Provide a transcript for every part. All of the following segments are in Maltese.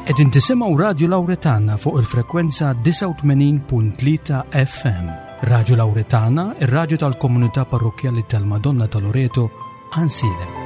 Qegħdin tisimgħu Radju Lawretana fuq il-frekwenza 89.3 FM. Radju Lawretana, ir-radju tal-komunità parrokkjali tal-Madonna ta' Loreto, Ansilem.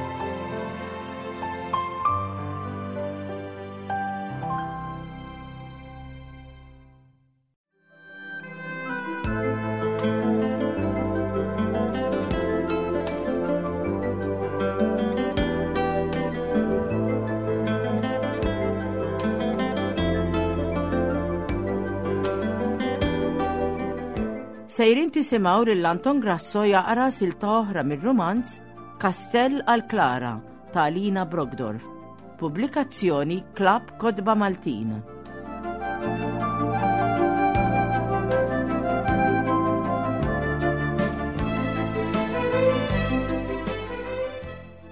Sejrin tisimgħu lil Anton Grasso jaqra silta oħra mir-rumanz Kastell għal Klara ta' Alina Brogdorf. Pubblikazzjoni Klabb Kotba Maltin.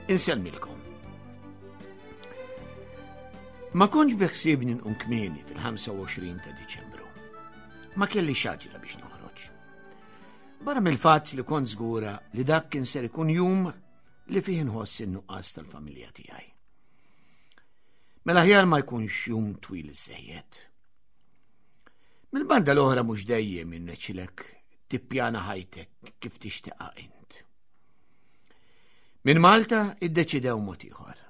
Insellmilkom. Ma kontx biħsibni nqum kmieni fil-25 ta' Diċembru. Ma kelli xaġla biex noħroġ. Barra mill-fatt li kont żgura li dak kien ser ikun jum li fih inħoss in-nuqqas tal-familja tiegħi. Mela ħjar ma jkunx jum twil iżejjed. Mill-banda l-oħra mhux dejjem irnexxilek tippjana ħajtek kif tixtieqha int. Minn Malta iddeċidew mod ieħor.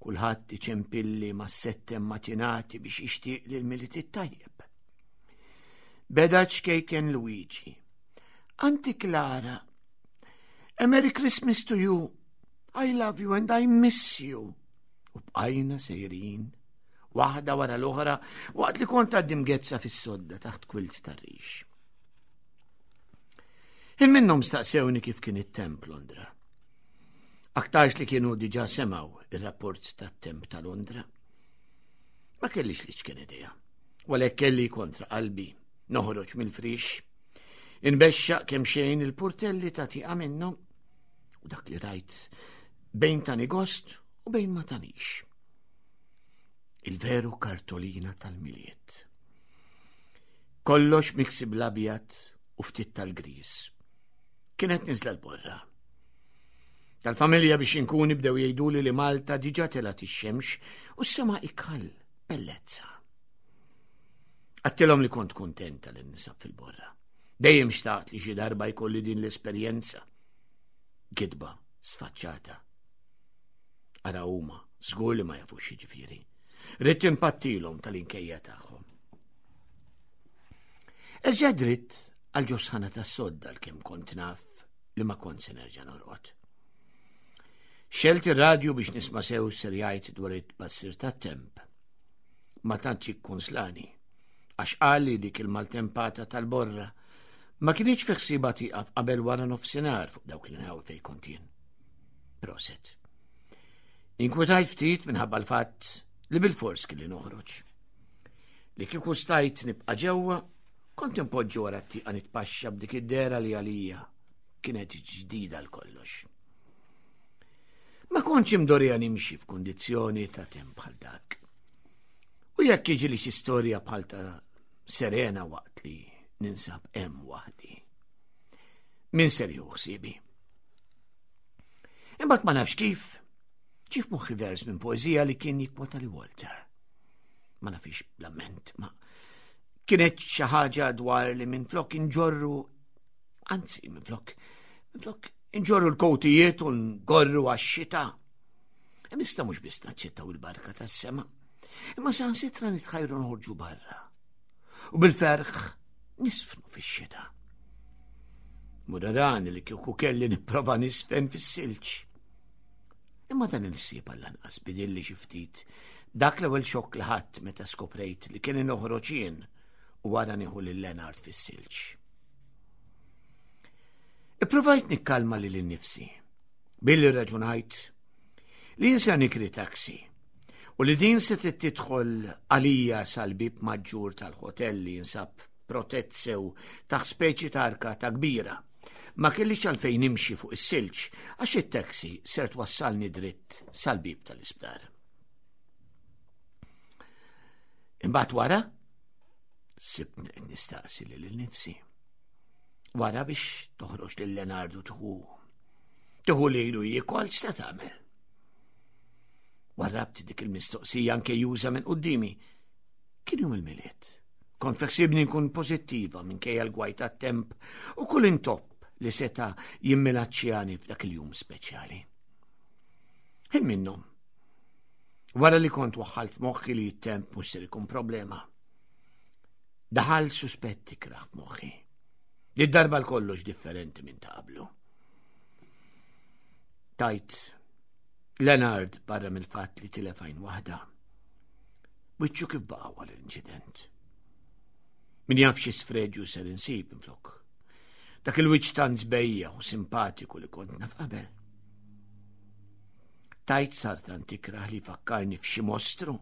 Kulħadd iċempilli ma' settem matinati biex jixtieq lil miliet tajjeb. Beda ċkejken Luigi. Anti Clara, A Merry Christmas to you. I love you and I miss you. U bqajna sejrin, waħda wara l-oħra, waqt li kont għaddi mgezza fis-sodda taħt kwilt tar-rix. Il minnhom staqsewni kif kien it-temp Londra. Aktarx li kienu diġa semaw ir-rapport tat-temp ta' Londra. Ma kellix li ċken idea. Walek kelli kontra qalbi noħroġ mill-frix Inbexxaq kemm xejn il-purtelli ta' tieqa minnhom u dak li rajt bejn tani gost u bejn ma tanix. Il-veru kartolina tal-miliet. Kollox miksi bl-abjad u ftit tal-gris. Kienet niżla l-borra. Tal-familja biex inkun bdew jgħiduli li Malta diġa telgħet ix-xemx u s-sema ikal bellezza. Għattilhom li kont kuntenta li nisab fil-borra. Dejjem xtaqt li xi darba jkolli din l-esperjenza. Gidba sfaċċata. Ara huma, żgur li ma jafux jiġifieri. Ridt impattilhom tal-inkejja tagħhom. Erġa' dritt għal ġosħana tas-sodda l-kemm kont naf li ma kont se nerġa' norqod. Xelt ir-radju biex nisma' sew ser jgħid dwar it-tbassir tat-temp. Ma tantx ikkunslani, għax qal li dik il-maltempata tal-borra ma kinitx fi ħsiebha tieqaf qabel wara nofsinhar fuq dawk l-inħawi fejn kont jien. Proset. Inkwetajt ftit minħabba l-fatt li bil-fors kelli noħroġ. Li kieku stajt nibqa' ġewwa, kont impoġġi wara t-tieqa nitpaxxa b'dik id-dera li għalija kienet ġdida l-kollox. Ma kontx imdorija nimxi f'kundizzjoni ta' temp bħal dak. U jekk jiġi li xi storja bħal ta' Serena waqt li ninsab hemm waħdi. Min ser jieħu ħsiebi? Imbagħad ma nafx kif ġif moħħi vers minn poeżija li kien jikkwota li Walter. Ma nafix bl-amment, ma kienet xi ħaġa dwar li minflok inġorru anzi minflok minflok Inġorru l-kowtijiet u ngorru għax-xita. Imma mhux biss naċċettaw il-barka tas-sema, imma saħansitra nitħajru noħorġu barra. U bil-ferħ nisfnu fix-xita. Murarani li kieku kelli nipprova nisfen fis-silġ. Imma dan il-ħsieb għall-anqas bidilli xi ftit dak l-ewwel xokk li ħadd meta skoprejt li kien noħroġ jien u wara nieħu lil Lenard fis-silġ. Ippruvajt nikkalma lili nnifsi billi rraġunajt li jien se nikri taxi u li din se tidħol għalija sal-bib maġġur tal-hotel li jinsab protett sew taħt speċi ta' arkata kbira. Ma kellix għalfejn nimxi fuq is-silġ għax it-taxi ser twassalni dritt sal-bib tal-isptar. Imbagħad wara sibtni qed nistaqsi lil nifsi. Wara biex toħroġ lil Leonardo tħu. Tħu lilu jiekol x'se tagħmel. Warrabt dik il-mistoqsija anke juża minn qudiemi. Kien jum il-Milied. Kont feksibni nkun pożittiva minkejja l-gwaj tat-temp u kull intopp li seta' jimminaċċjani f'dak il-jum speċjali. Ħin minnhom. Wara li kont waħħalt f'moħħi li t-temp mhux ser ikun problema. Daħal suspett ikrah f'moħħi. Di darba l-kollox differenti minn ta' qablu. Tajt Leonard barra mill-fatt li tilef għajn waħda. Wiċċu kif baqa' wara l-inċident. Min jaf xi sfreġju ser insib minflok. Dak il-wiċċ tant żbejja u simpatiku li kont naf qabel. Tajt sar tant ikrah li fakkarni f'xi mostru.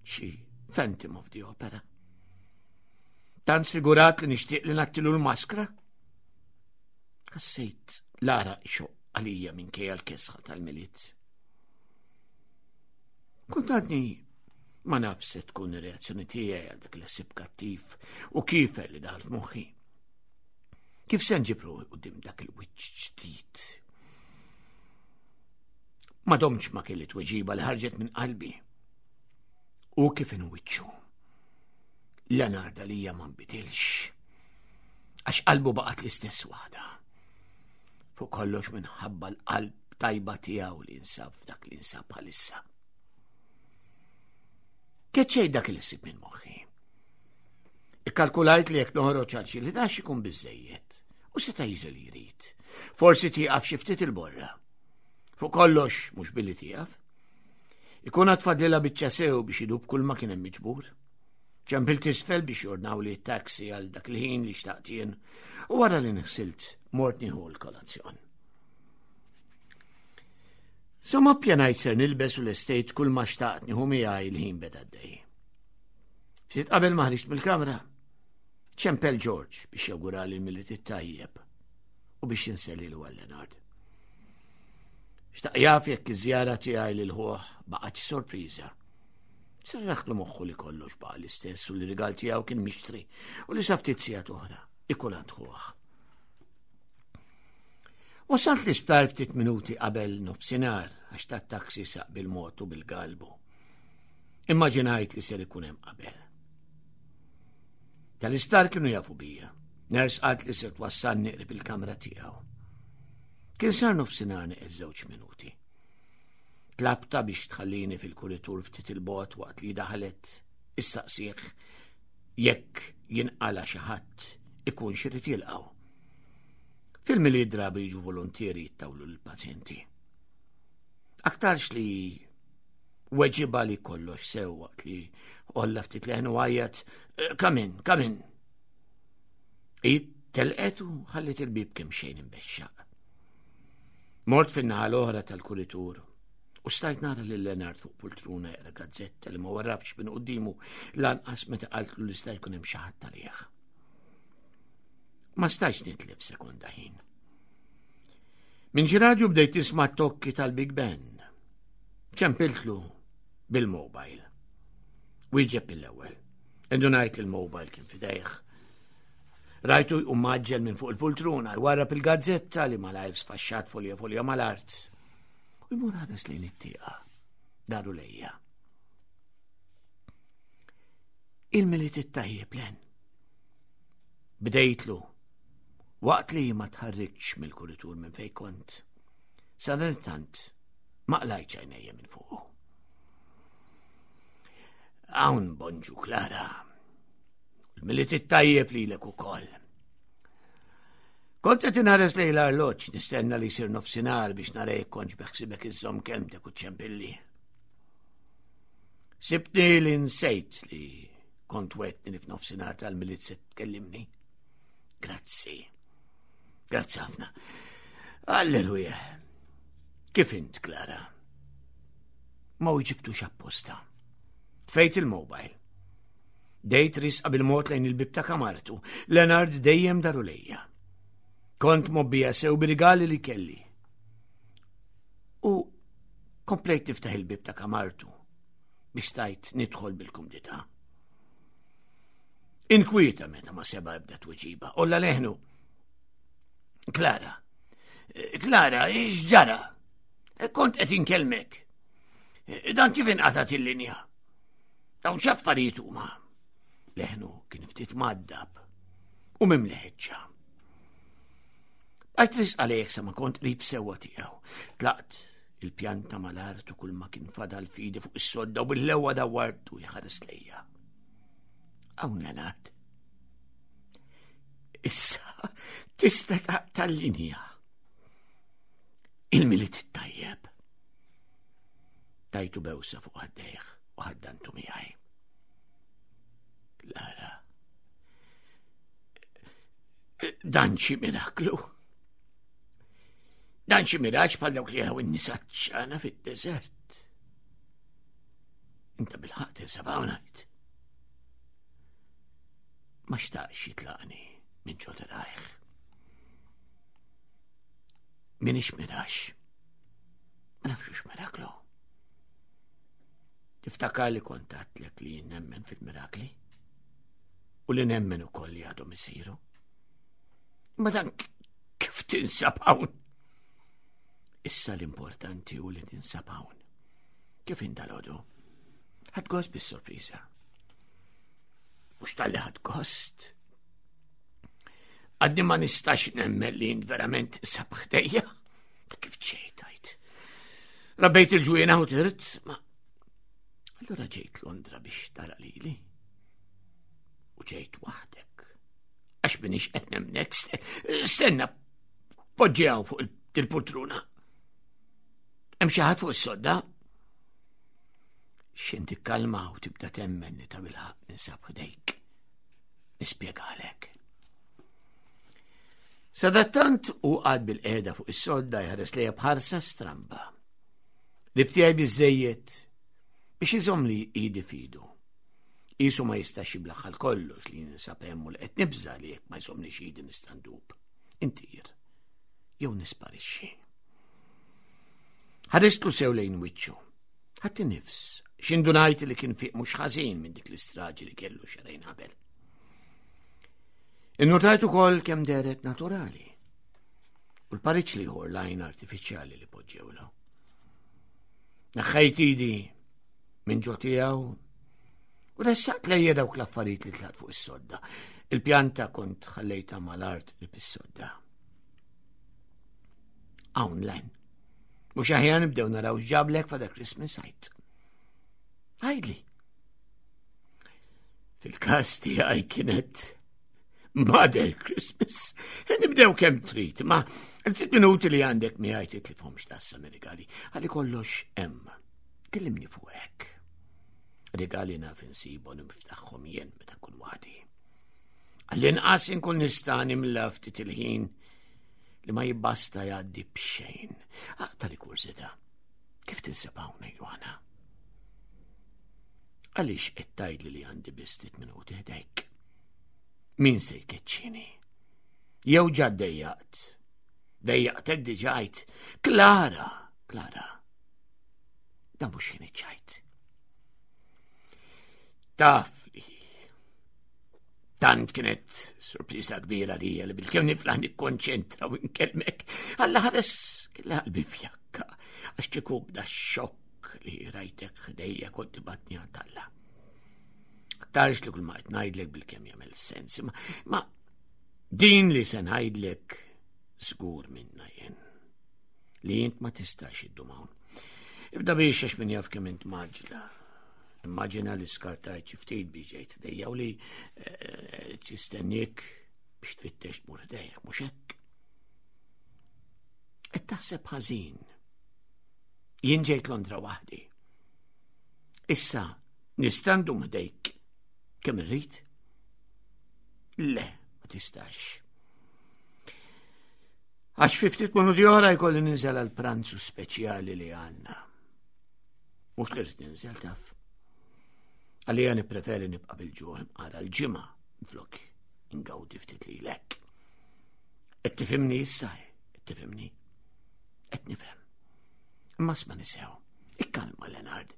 Xi Phantom of the Opera. Tant sfigurat li nixtieq li nattilu l-maskra. Ħassejt l-għaraq ixoqq għalija minkejja l-kesħa tal-Milied. Kont għadni ma naf se tkun ir-reazzjoni tiegħi għal dak il-ħsieb kattiv u kiefer li daħal f'moħħi. Kif se nġib ruħi quddiem dak il-wiċċ ġdid? Ma domx ma kelli tweġiba li ħarġet minn qalbi. U kif inwiċċu? Leonard għalija ma nbidilx. Għax qalbu baqgħet l-istess waħda. Fuq kollox minħabba l-qalb tajba tiegħu li nsab f'dak li nsab bħalissa. Keċċej dak il ħsieb minn moħħi. Ikkalkulajt li jekk noħroġ għal xi li dax ikun biżejjed u seta' jiżel li jrid. Forsi tieqaf xi ftit il-borra. Fuq kollox mhux billi tieqaf. Ikun għad fadlilha biċċa sew biex idub kull ma kien hemm miġbur. Ċempilt isfel biex jordnaw li taxi għal dak il-ħin li xtaqt jien u wara li nħsilt mort nieħu l-kolazzjon. Sa ma ppjanajt ser nilbes u l-estejt kull ma xtaqt nieħu miegħi l-ħin beda dej. Ftit qabel ma ħriġt mill-kamra, ċempel George biex jawgurali l-Milied it-tajjeb u biex insellilu għal Leonard. Xtaq jaf jekk iż-żjara tiegħi lil ħuh baqgħetx sorpriża. Serraħtlu moħħu li kollox baqa' l-istess u li rigal tiegħu kien mixtri u li sa ftit sigħat oħra ikun għand ħuh. Wasalt l-isptar ftit minuti qabel nofsinhar għax tat-taxi saq bil-mod u bil-galbu. Immaġinajt li ser ikun hemm qabel. Tal-isptar kienu jafu bija. Ners qalt li ser twassalni qrib il-kamra tiegħu. Kien sar nofsinhar neqes żewġ minuti. Tlabta biex tħallini fil-kuritur ftit il-bot waqt li daħlet issaqsih jekk jinqala xi ħadd ikun xirid jilqgħu. Fil-milied drabi jiġu volontieri jittawlu l-pazjenti. Aktarx li weġiba li kollox sew waqt li olla ftit leħnu għajjat, eh, come in, come in. Hi telqet u ħalliet il-bieb kemm xejn imbexxaq. Mort fin-naħa l-oħra tal-kuritur u stajt nara lil Leonard fuq pultruna jaqra gazzetta li ma warrabx minn quddiemu lanqas meta qaltlu li sta jkun hemm xi ħadd għalih. Ma stajtx nitlef sekonda ħin. Minn xi radju bdejt tisma' tokki tal-Big Ben. Ċempiltlu bil-mobile. Wieġeb mill-ewwel. Indunajt li l-mobile kien fidejh. Rajtu jqum maġġel minn fuq il-pultruna, jwarrab il-gazzetta li malajr sfaxxat folja folja mal-art. U jmur ħares lejn it-tieqa, daru lejja. Il-miliet it-tajjeb len. Bdejtlu, waqt li ma tħarrikx mill-kuritur minn fej kont. Sadanittant, ma qlajtx għajnejja minn fuqu. Hawn bonġu Klara. Il-Milied it-tajjeb lilek ukoll. Kont qed inħares lejn l-arloġġ nistenna li jsir nofsinhar biex nara jekk kontx beħsibek iżżomm kelmtek u ċempilli. Sibtni li nsejt li kont wetni li f'nofsinhar tal-Milied se tkellimni. Grazzi. Grazzi ħafna. Alleluja. Kif int, Klara? Ma wieġibtux apposta. Tfejt il-mobile. Dejt risqa bil-mod lejn il-bib ta' kamartu. Leonard dejjem daru lejja. Kont mobbija sew bir-rigali li kelli. U komplejt niftaħ il-bib ta' kamartu biex stajt nidħol bil-kumdità. Inkwieta meta ma seba ebda tweġiba. Olla leħnu. Klara, Klara, x'ġara? Kont qed inkellmek. Dan kif inqatat il-linja? Dawn x'affarijiet huma? Leħnu kien ftit maddab u mimli ħeġġa. Għajt risq għalih sa ma kont qrib sewwa tiegħu. Tlaqt il-pjanta mal-art u kull ma kien fadal fidi fuq is-sodda u bil-lewa dawwartu jħares lejja. Hawn Leonard. Issa tista' taqta' l-linja. Il-Milied tajjeb. Tajtu bewsa fuq ħaddejh u ħaddantu miegħi. Lara. Dan xi miraklu. Dan xi miraġġ bħal dawk li jaraw in-nisa ċana fid-deżert. Inta bil-ħaqq tinsab hawn ngħid. Ma xtaqx jitlaqni minn ġo rajh. Minix mirax. Ma nafx miraklu. Tiftakar li kont għedtlek li nemmen fil-mirakli? U li nemmen ukoll li għadhom isiru? Ma dan kif tinsab hawn? Issa l-importanti u li ninsab hawn. Kif indalodu? Ħadt gost bis-sorpriża. Mhux talli ħadt gost. Għadni ma nistax nemmen li jint verament sab ħdejja. Kif ġejt għajt? Rabbejt il-ġwiena u tirt, ma Allura ġejt Londra biex tara lili. U ġejt waħdek. Għax minix qed nemnek, stenna, poġġew fuq il-poltruna. Hemm xi ħadd fuq is-sodda? X'in tikkalma u tibda temmen li ta' bilħaq ninsab ħdejk. Nispjegalek. Sadattant u għad bil-qeda fuq is-sodda jħares lejha bħarsa stramba. Li btiegħi biżejjed biex iżomm li idi fidu. Isu ma jistax jiblaħħal kollox li ninsab hemm u li qed nibża li jekk ma jżommlix idi nista' ndub. Intir. Jew nisparixxi. Ħaristlu sew lejn wiċċu. Ħadd nifs, x'indunajt li kien fiq mhux ħażin minn dik l-istraġi li kellu xarejn qabel. Innutajt ukoll kemm deret naturali. U l-pariċ liħor lajn artifiċjali li poġġewlu. Neħħejt idi minn ġo tiegħu u ressaqt lejja dawk l-affarijiet li tlaqt fuq is-sodda. Il-pjanta kont ħallejta mal-art li is-sodda. Hawn len. Mhux aħjar nibdew naraw x'ġablek fada Christmas għajt. Għajdli. Fil-każ tiegħi kienet Mother Christmas. Nibdew kemm trid, ma ftit minuti li għandek miegħi titlifhomx tassa rigali. Għalli kollox hemm. Kellimni fuq hekk. Rigali naf insibu niftaħhom jien meta nkun waħdi. Għall-inqas inkun nista' nimla ftit il-ħin li ma jibbasta jgħaddi b'xejn. Aqta li kurżità. Kif tinsab hawn Johanna? Għaliex qed tgħidli li għandi biss ftit minuti ħdejk? Min se jkeċċini? Jew ġa dejjaqt? Dejjaqtek diġajt. Klara, Klara. Dan mhux kien iċ-ċajt. Taf li tant kienet sorpriża kbira li li bil-kemm niflaħ nikkonċentra u nkellmek. Alla ħares kella qalbi fjakka għax kieku bda xokk li rajtek ħdejja kont tibatni għand Alla. Aktarx li kull ma qed ngħidlek bil-kemm jagħmel sens, ma, ma din li se ngħidlek żgur minna jien li int ma tistax iddum hawn. Ibda biex għax min jaf kemm int maġla. Immaġina li skartajt xi ftit biex ġejt dejja u li eh, tistennik biex tfittex tmur ħdejh, mhux hekk. Qed taħseb ħażin. Jien ġejt Londra waħdi. Issa nista' ndum ħdejk kemm irrid? Le, ma tistax. Għax fi ftit minuti oħra jkolli ninżel għal pranzu speċjali li għandna. Mhux li rrid ninżel taf. Għalija nippreferi nibqa' bil-ġuħ imqara l-ġimgħa flok ingawdi ftit lilek. Qed tifhimni issa, qed tifhimni. Qed nifhem. Imma sma nisew. Ikkalma Leonard.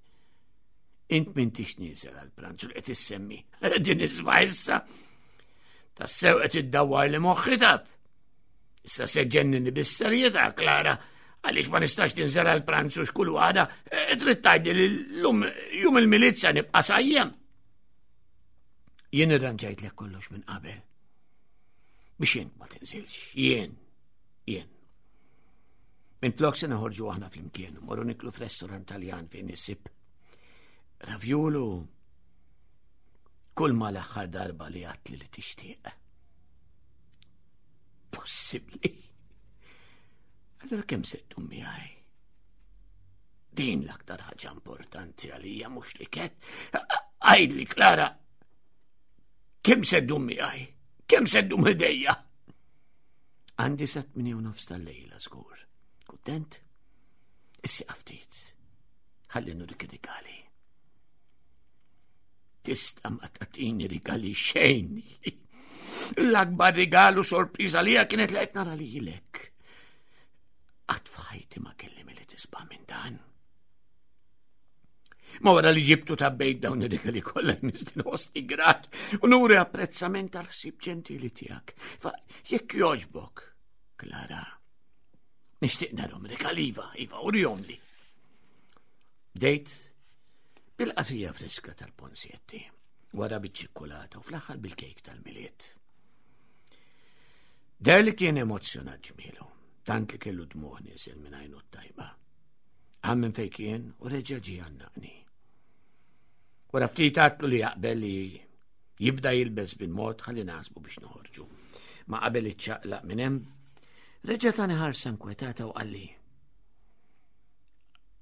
Int m'intix nieżel għal pranzu li qed issemmi. Din isma' issa. Tassew qed iddawwar li moħħi taf. Issa se ġennini bis-serjetà, Klara. Għaliex ma nistax tinżel għal pranzu xkull għada, eh, trid tgħidli li llum jum il-milizza nibqa' sajjem. Jien irranġajtlek kollox minn qabel. Biex int ma tinżilx, jien, jien. Minn flok se noħorġu aħna flimkien, morru niklu f'restorant Taljan fejn isib ravjulu kull ma l-aħħar darba li għatli li tixtieq. Possibbli. Allora kemm se ddum miegħi? Din l-aktar ħaġa importanti għalija mhux li ket. Għidli Klara, kemm se ddum miegħi? Kemm se ddum ħdejja? Għandi sa 8 nofs tal-lejla żgur. Kuntent? Issa ftit. Ħalli nurik rigali. Tista' ma tagħtini rigali xejn. L-akbar rigalu sorpriża lija kienet li qed nara lilek. Qatt f'ħajti ma kelli milli tisba' minn dan. Ma wara li ġibtu tabbejt dawn ir-rigali kollha nistin ħossni grat u nuri apprezzament għal ħsieb ġentili tiegħek. Fa jekk jogħġbok, Klara, nixtieq narhom rigali iva, iva, urihom li. Bdejt bil-qasija friska tal-ponsjetti, wara biċ-ċikkulata u fl-aħħar bil-kejk tal-miliet. Der li kien emozzjonat ġmielu, tant li kellu dmuħ niżel minn għajnu t-tajba. Għam minn fej kien u reġa' ġie għannaqni. Wara ftit għatlu li jaqbel li jibda jilbes bil-mod ħalli nasbu biex noħorġu. Ma qabel iċċaqlaq minn hemm, reġa' tani ħarsa nkwetata u qalli.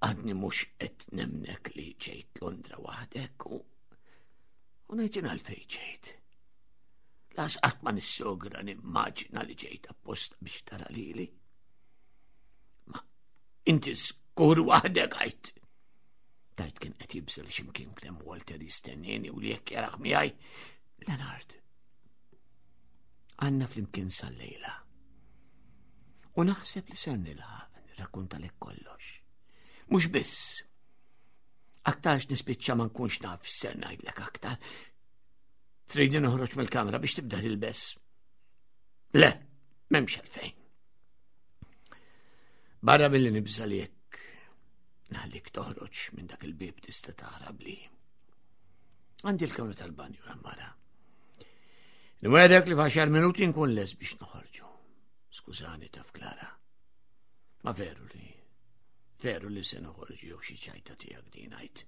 Għadni mhux qed nemnek li ġejt Londra waħdek u u ngħid għalfejn ġejt. Las qatt ma nissogra nimmaġina li ġejt apposta biex tara lili. Ma inti skur waħdek għajt. Tajt kien qed jibżel x'imkien klem Walter jistennini u li jekk jaraħ miegħi. Leonard, għandna flimkien sal-lejla. U naħseb li ser nilħaq nirrakkuntalek kollox. Mhux biss. Aktarx nispiċċa ma nkunx naf ser ngħidlek aktar. Tridni noħroġ mill-kamra biex tibda tilbes. Le, m'hemmx għalfejn. Barra billi nibża li jekk naħlik toħroġ minn dak il-bib tista' taħrab li. Għandi l-kamra tal-banju hemm mara. Nwedek li f'għaxar minuti nkun les biex noħorġu. Skużani taf Klara. Ma veru li veru li se noħorġu jew xi ċajta tiegħek din għajt.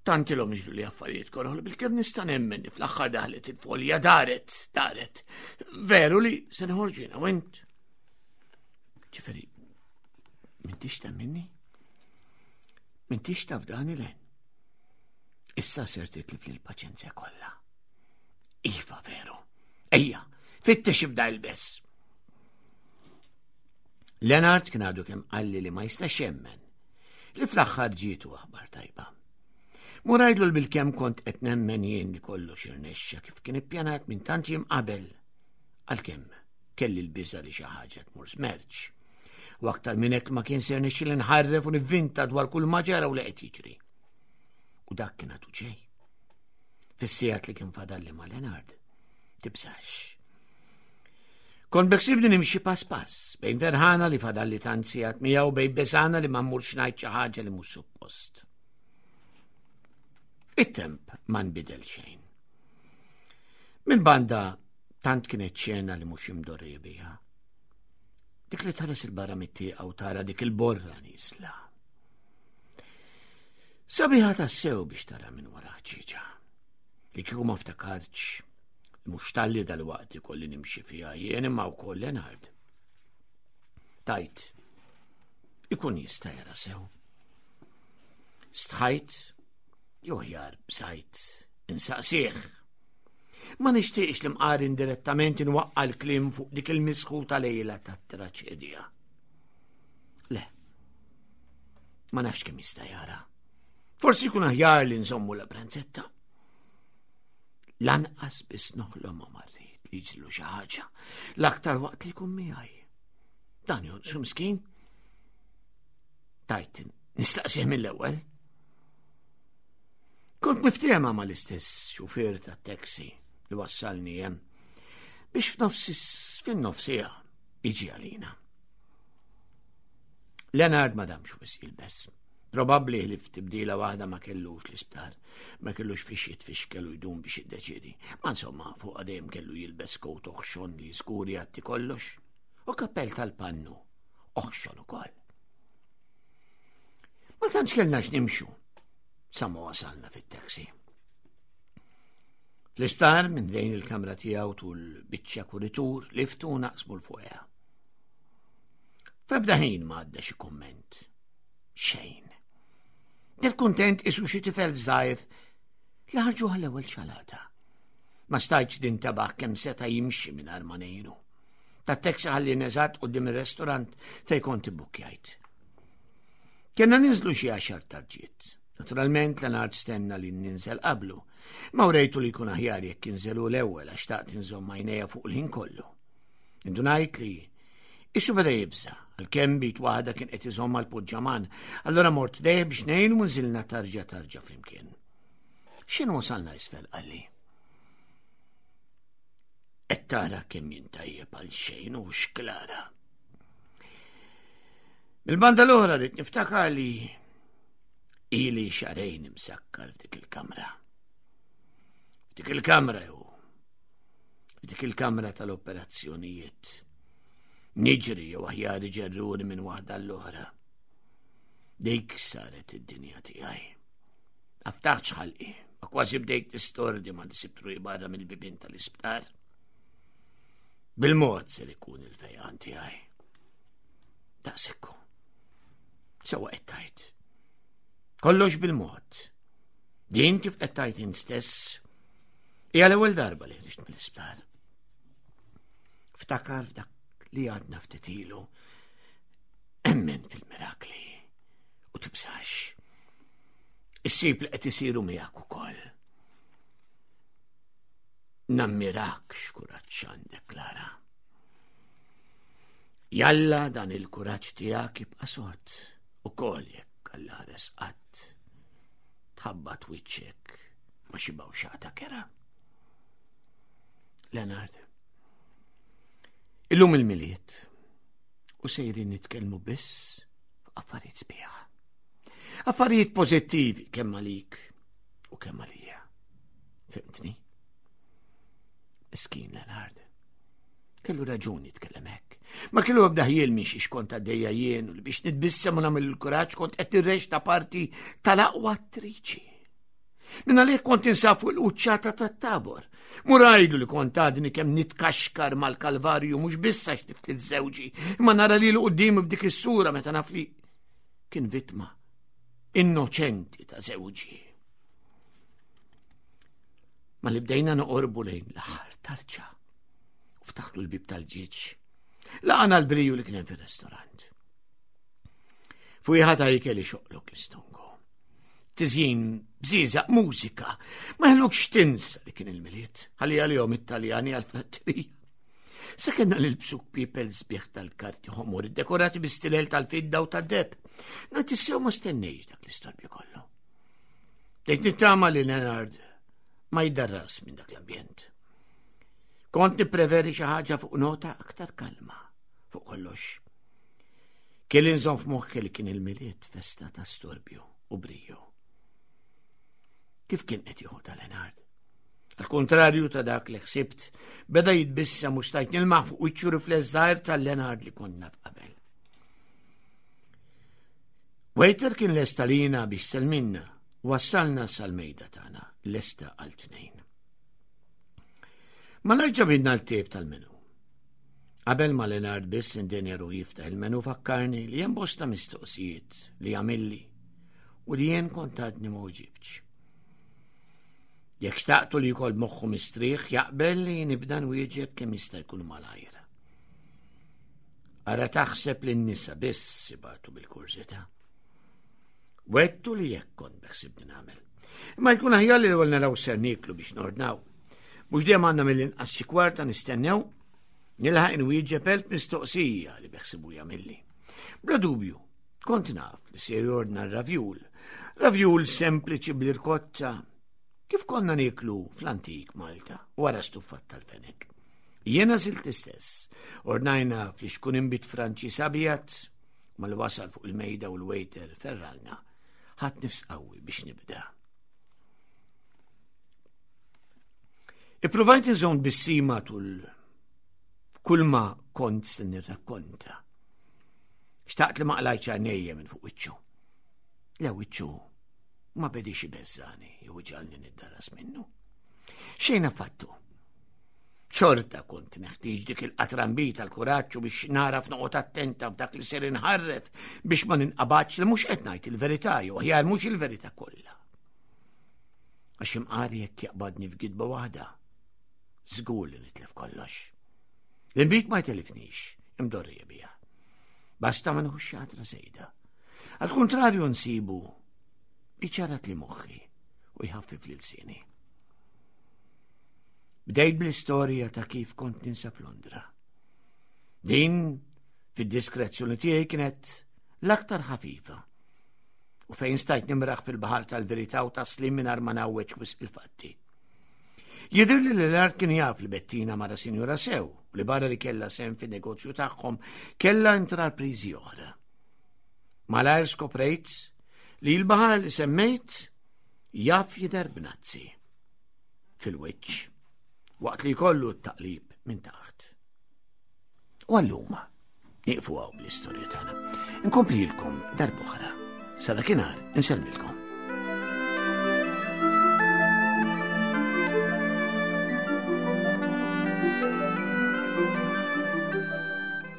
Tant ilhom jiġru li affarijiet koroħ li bil-kemm nista' nemmen li fl-aħħar daħlet il-folja daret, daret. Veru li se noħorġu jiena u int. Ġifieri, m'intix ta' minni? M'intix taf dan il Issa ser titlif li l-paċenzja kollha. Iva veru. Ejja, fittex ibda ilbes. Leonard kien għadu kemm qalli li ma jistax jemmen li fl-aħħar ġietu aħbar tajba. Murajdlu l-bil-kem kont qed nemmen jien li kollox irnexxa kif kien ippjanat minn tant jiem qabel. Għalkemm kelli l-biża li xi ħaġa tmur smerċ. U aktar minn hekk ma kien ser nixxi li nħarref u nivvinta dwar kull ma ġara u li qed jiġri. U dak kien għadu ġej. Fis-sigħat li kien fadalli ma' Leonard, tibżax. Kont beksibni nimxi pass pass, bejn ferħana li fadalli tant sigħat miegħu bejn besana li ma mmurx ngħid xi ħaġa li mhux suppost. It-temp ma nbidel xejn. Minn banda tant kienet xena li mhux imdorri biha. Dik li tħares il-barra mit-tieqa u tara dik il-borra nisla. Sabiħa tassew biex tara minn wara ħġieġa. Li kieku ma ftakartx li mhux talli dal-waqt ikolli nimxi fiha jien imma wkoll Leonard. Tajt, ikun jista' jara sew. Stħajt, jew aħjar bżajt, insaqsih. Ma nixtieqx li mqar indirettament inwaqqa' l-kliem fuq dik il-misħuta lejla tat-traċedja. Le, ma nafx kemm jista' jara. Forsi jkun aħjar li nżommu la pranzetta. Lanqas biss noħlom ma marrit li jiġrilu xi ħaġa l-aktar waqt li jkun miegħi. Dan jonqsu miskin. Tajt, nistaqsih mill-ewwel. Kont miftehma mal-istess xufier tat-taxi li wassalni hemm biex f'nofs fin-nofsija jiġi għalina. Leonard ma damx wisq jilbes. Probabbli li f'tibdila waħda ma kellux l-isptar, ma kellux fiex jitfixkel u jdum biex jiddeċiedi. Ma insomma, fuq dejjem kellu jilbes kowt oħxon li żgur jgħatti kollox u kappell tal-pannu oħxon ukoll. Ma tantx kellna x'nimxu sa ma wasalna fit-taxi. Fl-isptar minn dejn il-kamra tiegħu tul biċċa kuritur liftu naqsmu l-fuqha. F'ebda ħin ma għadda xi kumment. Xejn. Del kuntent isu xi tifel żgħir li ħarġuh l-ewwel ċalata. Ma stajtx nintabaħ kemm seta' jimxi mingħajr ma ngħinu. Tat-taxi ħalli neżatt quddiem ir-restorant fejn kont ibbukkjajt. Kenna ninżlu xi għaxar tarġiet. Naturalment Leonard stenna li ninżel qablu, ma urejtu li jkun aħjar jekk inżelu l-ewwel għax taqt inżomm għajnejja fuq il-ħin kollu. Indunajt li Isu beda jibża, għalkemm bit waħda kien qed iżomm għal poġġaman, allura mort dejh biex ngħinu u nżilna tarġa tarġa flimkien. X'inhu wasalna isfel qalli. Qed tara kemm jien tajjeb għal xejn u xklara. Mil-banda l-oħra rrid niftakar li ili xarejn imsakkar f'dik il-kamra. F'dik il-kamra jew f'dik il-kamra tal-operazzjonijiet. Niġri jew aħjar iġerruni minn waħda l-oħra. Dik saret id-dinja tiegħi. Aftaħx ħalqi, ma kważi bdejt tistordi ma nisibtru barra mill-bibien tal-isptar. Bil-mod ser ikun il-fejqan tiegħi. Daqsekku. Sewa qed tajt. Kollox bil-mod. Din kif qed tajt int stess hija l-ewwel darba li ħriġt mill-isptar. Ftakar f'dak li għadna ftit ilu emmen fil-mirakli u tibżax. Issib li qed isiru miegħek ukoll. Nammirak x'kuraġġ għandek, Klara. Jalla dan il-kuraġġ tiegħek jibqa' sod ukoll jekk Alla ħares qatt tħabbat wiċċek ma xi bawxata kera. Leonard, illum il-miliet u sejrin nitkellmu biss affarijiet sbieħ. Affarijiet pożittivi kemm għalik u kemm għalija. Fimtni? Miskin Leonard. Kellu raġuni jitkellem hekk. Ma kellu ebda ħjiel minn xiex kont għaddejja jien u li biex nitbissem u nagħmel il-kuraġġ kont qed nirreċta parti tal-aqwa attriċi. Minn għalih kont insab fuq il-quċċata tat-tabor. Murajlu li kont għadni kemm nitkaxkar mal-kalvarju mhux biss għax niftil żewġi, imma nara lilu quddiemi f'dik is-sura meta naf li kien vittma innoċenti ta' żewġi. Ma li bdejna noqorbu lejn l-aħħar tarġa u ftaħtu l-bib tal-ġieġ. Laqana l-briju li kien hemm fir-restorant. Fujħa ta' ikel ixoqlok l-istongo. Tiżjin, bżiżaq, mużika, ma ħlukx tinsa li kien il-miliet, ħalli għalihom it-Taljani għal-fratterija. Sa kellna nilbsu kpiepel sbieħ tal-karti ħomor iddekorati bi stilel tal-fidda u tad-deb. Nagħti sew ma stennejx dak l-istorbju kollu. Dejt nittama li Leonard ma jdarras minn dak l-ambjent. Kont nippreveri xi ħaġa fuq nota aktar kalma fuq kollox. Kelli nżomm f'moħħi li kien il-milied festa ta' storbju u briju. Kif kien qed jieħu ta' Leonard? Al kontrarju ta' dak li ħsibt, beda jitbissem u stajt nilmaħ fuq wiċċu rifless żgħir tal-Leonard li konna f'qabel. Waiter kien lesta lina biex selminna, wassalna sal-mejda tagħna lesta għal tnejn. Ma nerġa' bidna l-tip tal-menu. Qabel ma Leonard biss indenja ruħu jiftaħ il-menu fakkarni li hemm bosta mistoqsijiet li għamilli u li jien kont għadni ma uġibx. Jekk xtaqtu li jkoll moħħu mistrieħ jaqbel li nibda nwieġeb kemm jista' jkun malajr. Ara taħseb li n-nisa biss ibatu bil-kurżità. Wettu li jekk kont beħsibni nagħmel. Imma jkun aħjar li l-ewwel naraw ser nieklu biex nordnaw. Mhux dejjem għandna mill-inqas xi kwarta nistennew nilħaq inwieġeb elf mistoqsija li beħsibu jagħmilli. Bla dubju, kont naf li se jordna r-ravjul. Ravjul sempliċi bl-irkotta kif konna nieklu fl-antik Malta wara stuffat tal-fenek. Jiena silt l-istess. Ordnajna fl-xkun imbit Franċiż abjad. U malli wasal fuq il-mejda u l-waiter ferralna, ħadt nifs qawwi biex nibda. Ippruvajt inżomm bissima tul kull ma kont se nirrakkonta. Xtaqt li ma qlajtx għajnejja minn fuq wiċċu. Le wiċċu ma bedix ibeżżani jew iġalni niddaras minnu. Xejn affattu. Xorta kont neħtieġ dik il-qatrambi tal-kuraġġ biex naraf noqgħod attenta f'dak li ser inħarref biex ma ninqabadx li mhux qed ngħid il-verità jew aħjar mhux il-verità kollha. Għax imqar jekk jaqbadni f'gidba waħda, żgur li nitlef kollox. L-inbid ma jtelifnix, imdorrija biha. Basta ma nħux xatra sejda. Għal kontrarju nsibu iċarat li moħħi u jħaffif lil sini. Bdejt bl-istorja ta' kif kont ninsab Londra. Din, fid-diskrezzjoni tiegħi kienet l-aktar ħafifa u fejn stajt nimraħ fil-baħar tal-verità u taslim mingħajr ma ngħawweġ wisq il-fatti. Jidher li l-art kien jaf li Bettina mara sinjura sew u li barra li kellha sem fin-negozju tagħhom kellha intrapriżi oħra. Malajr skoprejt li l-baħar li semmejt jaf jidher b'nazzi fil-wiċċ waqt li jkollu t-taqlib minn taħt. U għallum, nieqfu għaw bl-istorja tagħna. Inkomplilkom darb'oħra. Sa dakinhar insellmilkom.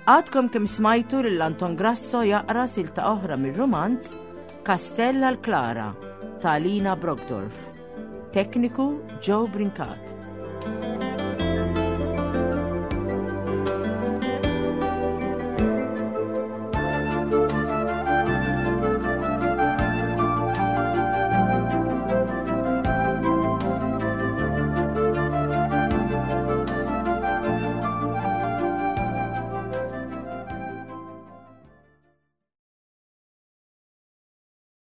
Għadkom kemm smajtu lil Anton Grasso jaqra silta oħra mir-rumanz Kastell għal Klara ta' Lina Brockdorf. Tekniku Joe Brincat.